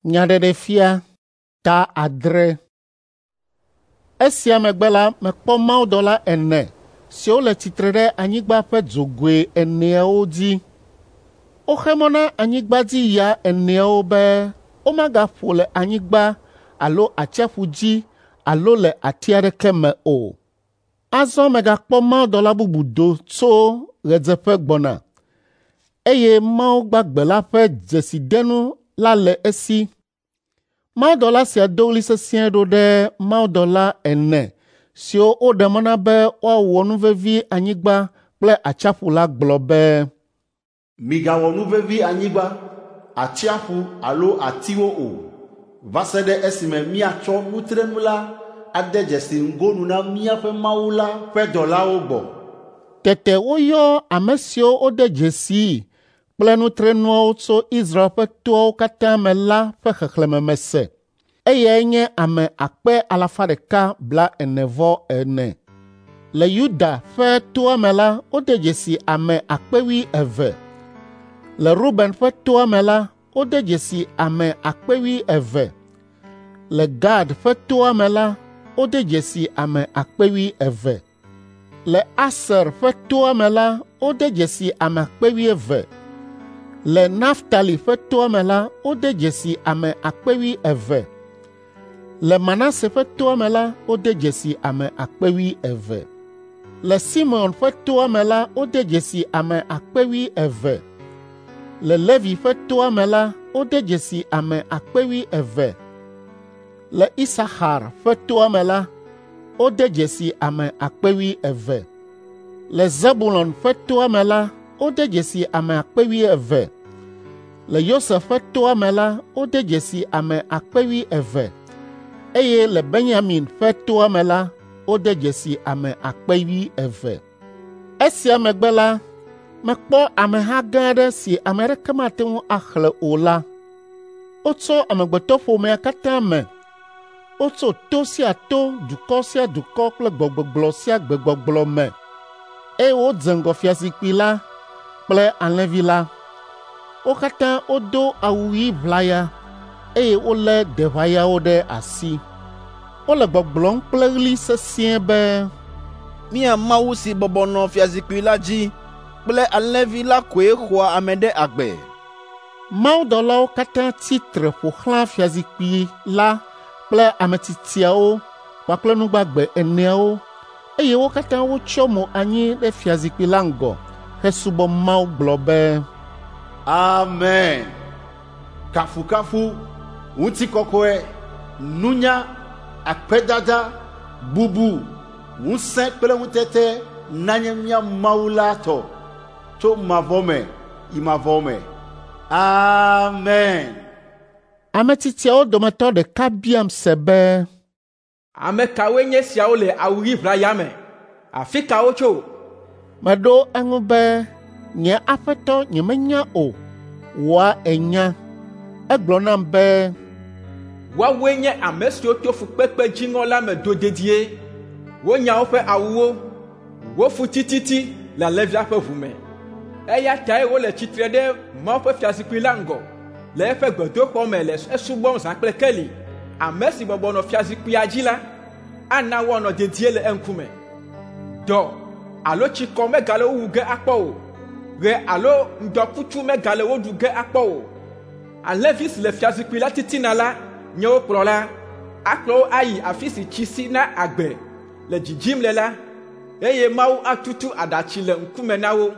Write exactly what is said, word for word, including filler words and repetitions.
Nyaɖeɖefia ta adre. Esia megbe la, mekpɔ mawudɔla ene siwo le tsitre ɖe anyigba ƒe dzogoe eneawo dzi. Woxe mɔ na anyigbadziya eneawo be womagaƒo le anyigba alo atsiaƒu dzi alo le ati aɖeke me o. Azɔ megakpɔ mawudɔla bubu do tso ɣedzeƒe gbɔna, eye Mawu gbagbe la ƒe dzesidenu la le esi. Mawudɔla sia do ɣli sesĩe ɖo ɖe mawudɔla ene siwo woɖe mɔ na be woawɔ nuvevi anyigba kple atsiaƒu la gblɔ be, Migawɔ nuvevi anyigba, atsiaƒu alo atiwo o, va se ɖe esime míatsɔ nutrenu la ade dzesi ŋgonu na míaƒe Mawu la ƒe dɔlawo gbɔ. Tete woyɔ ame siwo wode dzesii kple nutrenuawo tso Israel ƒe toawo katã me la ƒe xexlẽme mese. Eyae nye ame akpe alafa ɖeka blaene-vɔ-ene. Le Yuda ƒe toa me la, wode dzesi ame akpe wuieve. Le Ruben ƒe toa me la, wode dzesi ame akpe wuieve. Le Gad ƒe toa me la, wode dzesi ame akpe wuieve. Le Aser ƒe toa me la, wode dzesi ame akpe wuieve. Le Naftali ƒe toa me la, wode dzesi ame akpe wuieve. Le Manase ƒe toa me la, wode dzesi ame akpe wuieve. Le Simeon ƒe toa me la, wode dzesi ame akpe wuieve. Le Levi ƒe toa me la, wode dzesi ame akpe wuieve. Le Isaxar ƒe toa me la, wode dzesi ame akpe wuieve. Le Zebulon ƒe toa me la, wode dzesi ame akpe wuieve. Le Yosef ƒe toa me la, wode dzesi ame akpe wuieve eye le Benyamin ƒe toa me la, wode dzesi ame akpe wuieve. Esia megbe la, mekpɔ ameha gã aɖe si ame aɖeke mate ŋu axlẽ o la. Wotso amegbetɔƒomea katã me. Wotso to sia to, dukɔ sia dukɔ kple gbegbɔgblɔ sia gbegbɔgblɔ me eye wodze ŋgɔ fiazikpui la kple Alẽvi la. Wo katã wodo awu ɣi ʋlaya eye wolé deʋayawo ɖe asi. Wole gbɔgblɔm kple ɣli sesĩe be, Mía Mawu si bɔbɔ nɔ fiazikpui la dzi kple Alẽvi la koe xɔa ame ɖe agbe. Mawudɔlawo katã tsi tre ƒo xlã fiazikpui la kple ametsitsiawo kpakple nu gbagbe eneawo eye wo katã wotsyɔ mo anyi ɖe fiazikpui la ŋgɔ hesubɔ Mawu gblɔ be, Amen. Kafukafu, ŋutikɔkɔe, nunya, akpedada, bubu, ŋusẽ kple ŋutete nanye mía Mawu la tɔ tso mavɔ me yi mavɔ me. Amen. Ametsitsiawo dometɔ ɖeka biam se be, Ame kawoe nye esiawo le awu ɣi ʋlaya me? Afi ka wotso? Meɖo eŋu be, nye aƒetɔ nyemenya o, wòa ènya. Egblɔ nam be, Woawoe nye ame siwo to fukpekpe dziŋɔ la me do dedie. Wonya woƒe awuwo, wofu tititi le Alẽvia ƒe ʋu me. Eya tae wole tsitre ɖe Mawu ƒe fiazikpui la ŋgɔ le eƒe gbedoxɔ me le esubɔm zã kple keli. Ame si bɔbɔ nɔ fiazikpuia dzi la ana woanɔ dedie le eŋkume. Dɔ alo tsikɔ megale wo wu ge akpɔ o. Ɣe alo ŋdɔkutsu megale wo ɖu ge akpɔ o. Alẽvi si le fiazikpui la titina la nye wo kplɔla. Akplɔ wo ayi afi si tsi si na agbe le dzidzim le la, eye Mawu atutu aɖatsi le ŋkume na wo.